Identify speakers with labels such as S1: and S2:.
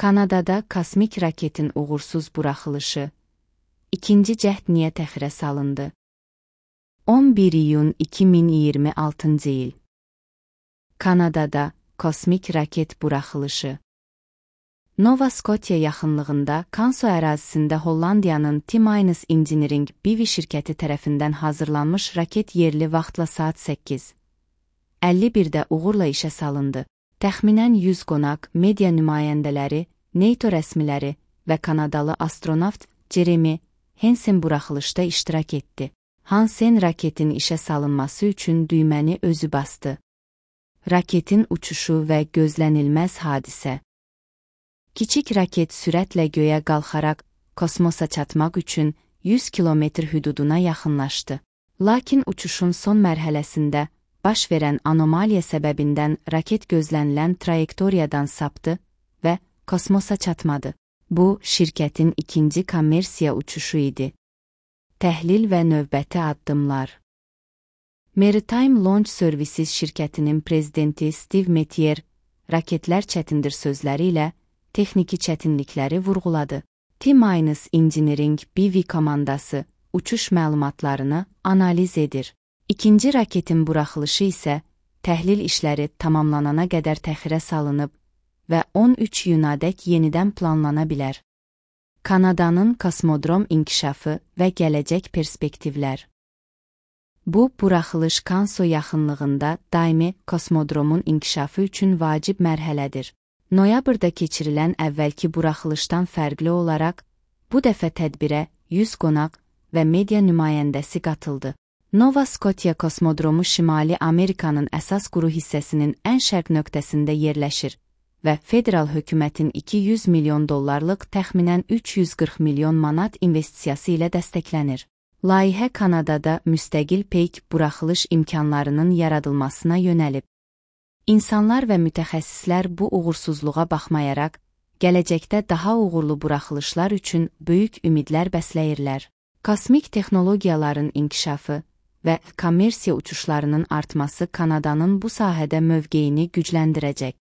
S1: Kanadada kosmik raketin uğursuz buraxılışı. İkinci cəhd niyə təxirə salındı? 11 iyun 2026 il. Kanadada kosmik raket buraxılışı. Nova Scotia yaxınlığında Kanso ərazisində Hollandiyanın T-Minus Engineering BV şirkəti tərəfindən hazırlanmış raket yerli vaxtla saat 8:51-də uğurla işə salındı. Təxminən 100 qonaq, media nümayəndələri, NATO rəsmiləri və Kanadalı astronavt Jeremy Hansen buraxılışda iştirak etdi. Hansen raketin işə salınması üçün düyməni özü bastı. Raketin uçuşu və gözlənilməz hadisə. Kiçik raket sürətlə göyə qalxaraq kosmosa çatmaq üçün 100 kilometr hüduduna yaxınlaşdı. Lakin uçuşun son mərhələsində baş verən anomaliya səbəbindən raket gözlənilən trayektoriyadan sapdı və kosmosa çatmadı. Bu, şirkətin ikinci kommersiya uçuşu idi. Təhlil və növbəti addımlar. Maritime Launch Services şirkətinin prezidenti Steve Metier, raketlər çətindir sözləri ilə texniki çətinlikləri vurğuladı. T-Minus Engineering BV komandası uçuş məlumatlarını analiz edir. İkinci raketin buraxılışı isə təhlil işləri tamamlanana qədər təxirə salınıb və 13 iyunadək yenidən planlana bilər. Kanadanın kosmodrom inkişafı və gələcək perspektivlər. Bu, buraxılış Kanso yaxınlığında daimi kosmodromun inkişafı üçün vacib mərhələdir. Noyabrda keçirilən əvvəlki buraxılışdan fərqli olaraq, bu dəfə tədbirə 100 qonaq və media nümayəndəsi qatıldı. Nova Scotia kosmodromu Şimali Amerikanın əsas quru hissəsinin ən şərq nöqtəsində yerləşir və federal hökumətin $200 milyon təxminən 340 milyon manat investisiyası ilə dəstəklənir. Layihə Kanadada müstəqil peyk buraxılış imkanlarının yaradılmasına yönəlib. İnsanlar və mütəxəssislər bu uğursuzluğa baxmayaraq, gələcəkdə daha uğurlu buraxılışlar üçün böyük ümidlər bəsləyirlər. Kosmik texnologiyaların inkişafı və kommersiya uçuşlarının artması Kanadanın bu sahədə mövqeyini gücləndirəcək.